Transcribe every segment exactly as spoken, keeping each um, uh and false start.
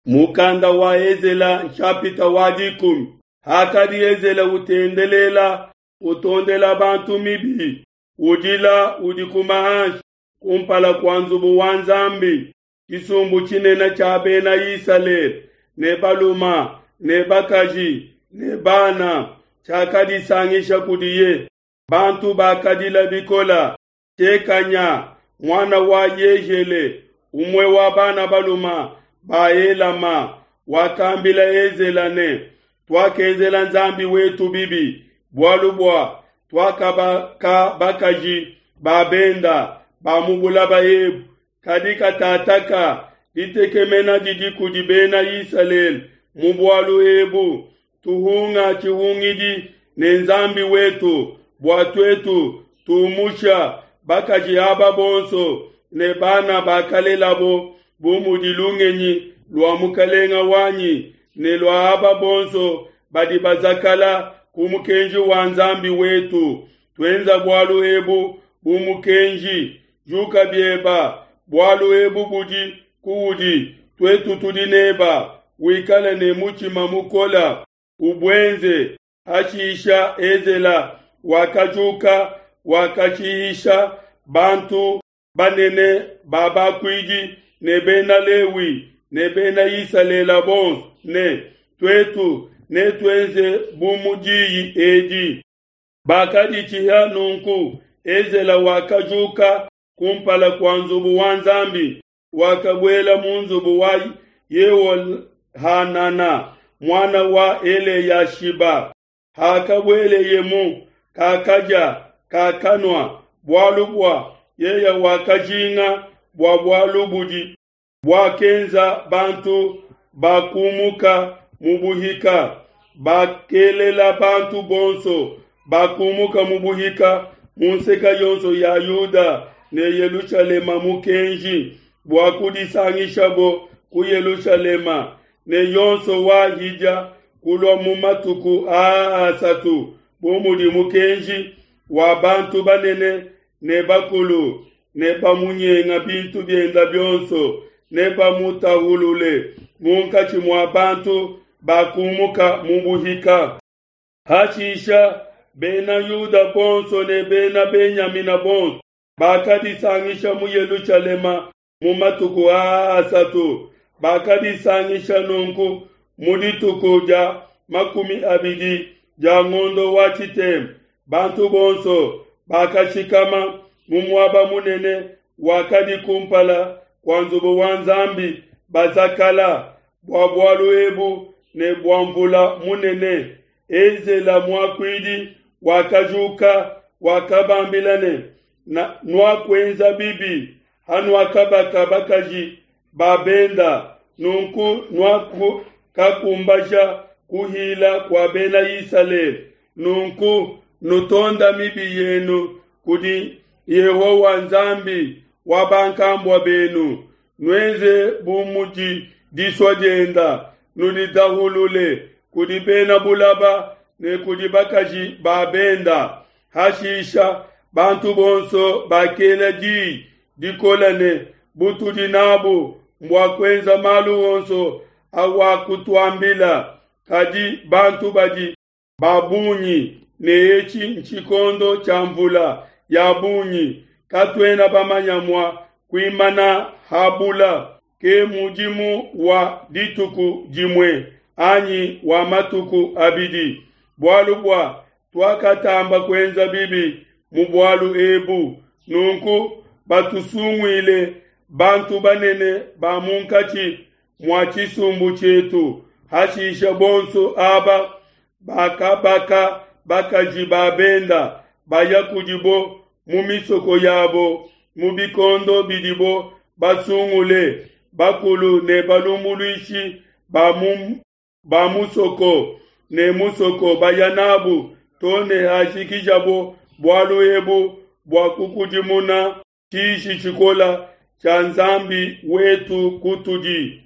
Mukanda wa Ezela nshapita wa dikumi. Hakadi Ezela utendelela utondela bantu mibi, udila udikuma hanshi kumpala kua nzubu wa Nzambi, tshisumbu tshinene tshia bena Isalele ne baluma ne bakaji ne bana tshiakadisangisha kudiye. Bantu bakadila bikola. Shekanya muana wa Yehiele, umue wa bana baluma ba Elama, wakambila Ezela ne, tuakenzela Nzambi wetu bibi, bualu bua tuakabaka bakaji ba benda ba mu bulaba ebu, kadi katataka ditekemena didi kudi bena Isalele mu bualu ebu. Tuhunga tshihungidi ne Nzambi wetu bua tuetu tumusha bakaji aba bonso ne bana bakalelabo bu mudi lungenyi lua mukalenga wanyi ne lua aba bonso badi bazakala ku mukenji wa Nzambi wetu. Tuenza bualu ebu bu mukenji, juka bieba, bualu ebu budi kuudi, tuetu tudi neba, wikale ne mutshima mukola, ubuenze. Hashisha Ezela wakajuka, wakashihisha bantu banene ba bakuidi ne bena Lewi ne bena Isalele bonso ne, tuetu netuenze bu mu diyi edi. Bakaditshiha nunku. Ezela wakajuka kumpala kua nzubu wa Nzambi, wakabuela mu nzubu wa Yehohanana muana wa Eleyashiba. Hakabueleyemu, kakadia, kakanua, bualu bua yeye wakajinga bua bualu budi buakenza bantu bakumuka mu buhika. Bakelela bantu bonso bakumuka mu buhika mu nseka yonso ya Yuda ne Yelushalema mukenji bua kudisangishabo ku Yelushalema, ne yonso wahidia kulua mu matuku aa asatu bu mudi mukenji wa bantu banene ne bakulu, ne bamunyenga bintu bienda bionso, ne bamutahulule munkatshi mua bantu bakumuka mu buhika. Hashisha bena Yuda bonso ne bena Benyamina bonso bakadisangisha mu Yelushalema mu matuku aa asatu. Bakadisangisha nunku mu dituku dia makumi abidi dia ngondo wa tshitema. Bantu bonso bakashikama mu muaba munene wakadi kumpala kua nzubu wa Nzambi, bazakala bua bualu ebu ne bua mvula munene. Ezela muakuidi wakajuka, wakabambila ne, nuakuenza bibi hanuakabaka bakaji ba benda, nunku nuakakumbaja kuhila kua bena Isalele. Nunku nutonda mibi yenu kudi Yehowa Nzambi wa bankambua benu, nuenze bu mudi disua dienda, nuditahulule kudi bena bulaba ne kudi bakaji ba benda. Hashisha bantu bonso bakela diyi dikola ne, butudi nabu mbua kuenza malu onso awakutuambila. Kadi bantu badi ba bungi ne etshi ntshikondo tshia mvula ya bungi, katuena bamanya mua kuimana habula. Ke mudimu wa dituku dimue anyi wa matuku abidi, bualu bua tuakatamba kuenza bibi mu bualu ebu. Nunku batusunguile bantu banene ba munkatshi mua tshisumbu tshietu. Hashisha bonso aba bakabaka bakaji ba benda baya kudibo mu misoko yabo mu bikondo bidibo basungule, bakulu ne balumbuluishi ba mu ba musoko ne musoko baya nabu to ne hashikijabo bualu ebu bua kukudimuna tshiji tshikola tshia Nzambi wetu kutudi.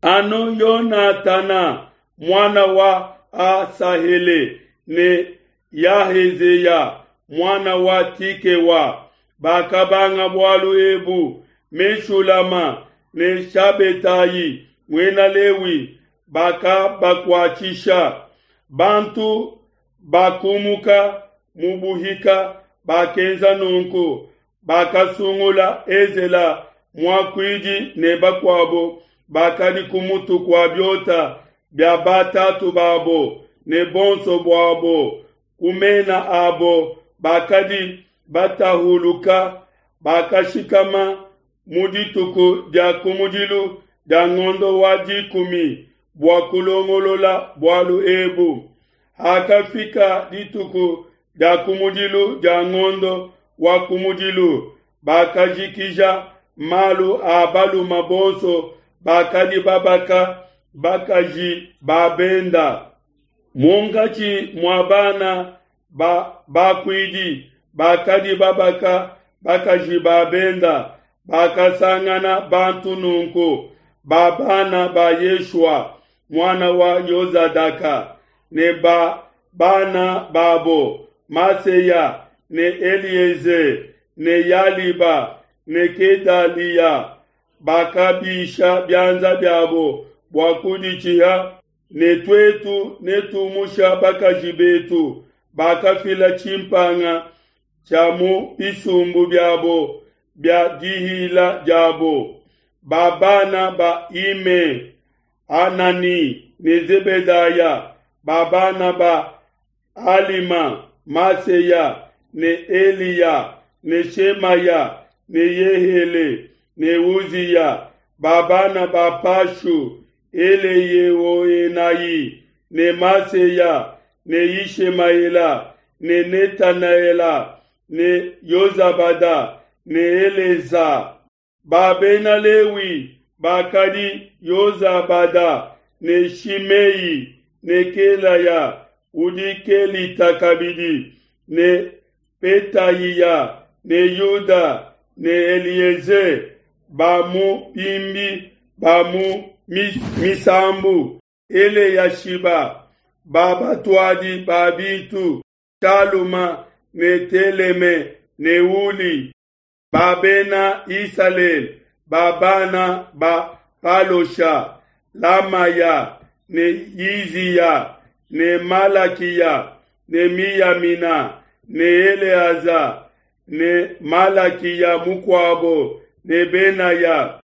Anu Yonatana muana wa Asahele ne Yahezeya muana wa Tikewa bakabanga bualu ebu. Meshulama ne Shabetai Muena Lewi, bakabakuatshisha. Bantu bakumuka mu buhika bakenza nunku, bakasungula Ezela muakuidi ne bakuabo bakadi ku mutu kua biota bia batatu babo, ne bonso buabo ku mena abo bakadi batahuluka, bakashikama mu dituku dia kumudilu dia ngondo wa dikumi bua kulongolola bualu ebu. Hakafika dituku dia kumudilu dia ngondo wa kumudilu, bakajikija malu a balume bonso bakadi babaka bakaji ba benda. Munkatshi mua bana ba bakuidi bakadi babaka bakaji ba benda, bakasangana bantu nunku: ba bana ba Yeshua, muana wa Yozadaka, ne ba bana babo Maseya ne Elieze ne Yaliba ne Kedaliya, bakabisha bianza biabo bua kuditshiha ne tuetu netumusha bakaji betu bakafila tshimpanga tshia mu bisumbu biabo bia dihila diabo. Ba bana ba Ime, Anani ne Zebedaya, ba bana ba Alima, Maseya ne Eliya ne Shemaya ne Yehele ne Uziya, ba bana ba Pashu, Eleyehoenai ne Maseya ne Yishemaela ne Netanaela ne Yozabada ne Eleza. Ba Bena Lewi bakadi Yozabada ne Shimei ne Kelaya udi Kelita kabidi ne Petayiya ne Yuda ne Elieze, ba mu bimbi ba mu misambu Eleyashiba, ba batuadi ba bintu Shaluma ne Teleme ne Uli, ba Bena Isalele, ba bana ba Palosha, Lamaya ne Yiziya ne Malakiya ne Miyamina ne Eleaza ne Malakiya mukuabo ne Benaya,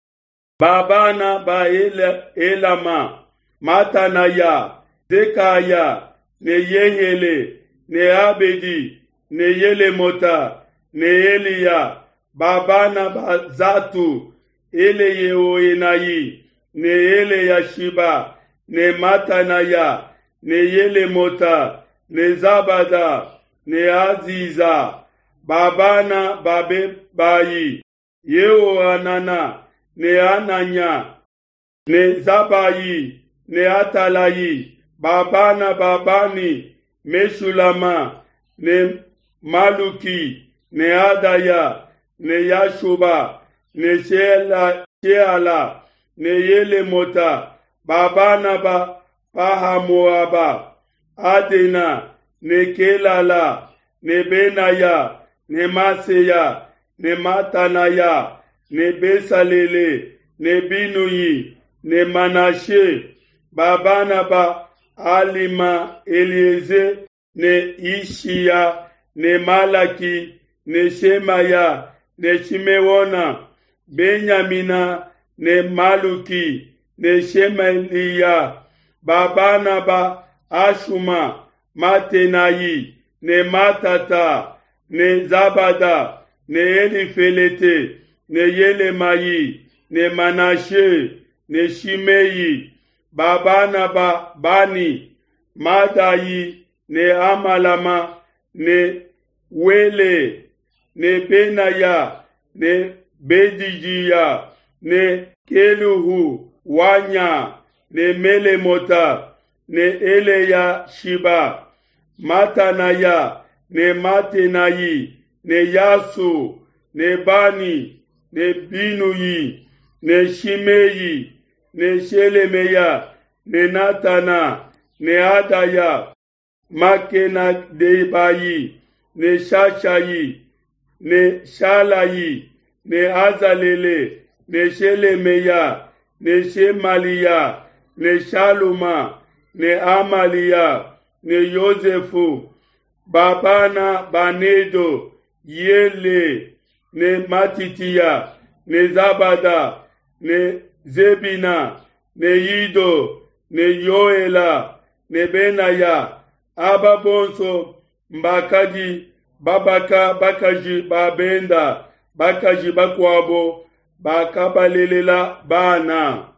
ba bana ba Elama, Matanaya, Zekaya ne Yehele ne Abedi ne Yelemota ne Eliya, ba bana ba Zatu, Eleyehoenai ne Eleyashiba ne Matanaya ne Yelemota ne Zabada ne Aziza, ba bana ba Bebayi, Yehohanana ne Ananya ne Zabayi ne Atalayi, ba bana ba Bani, Meshulama ne Maluki ne Adaya ne Yashuba ne Sheala, Sheala ne Yelemota, ba bana ba Pahamoaba, Adena ne Kelala ne Benaya ne Maseya ne Matanaya ne Besalele ne Binuyi ne Manashe, ba bana ba Alima, Elieze ne Ishiya ne Malaki ne Shemaya ne Shimeona, Benyamina ne Maluki ne Shemaliya, ba bana ba Ashuma, Matenayi ne Matata ne Zabada ne Elifelete ne Yelemayi ne Manashe ne Shimei, ba bana ba Bani, Madayi ne Amalama ne Wele ne Benaya ne Bedijiya ne Keluhu Wanya ne Melemota ne Eleya Shiba, Matanaya ne Matenayi ne Yasu ne Bani ne Binuyi ne Shimei ne Shelemeya ne Natana ne Adaya, Makenadebayi ne Shashayi ne Shalayi ne Azalele ne Shelemeya ne Shemaliya ne Shaluma ne Amaliya ne Yosefu. Ba bana ba Nedo, Yele ne Matitiya ne Zabada ne Zebina ne Yido ne Yoela ne Benaya. Aba bonso mbakadi babaka bakaji ba benda, bakaji bakuabo bakabalelela bana.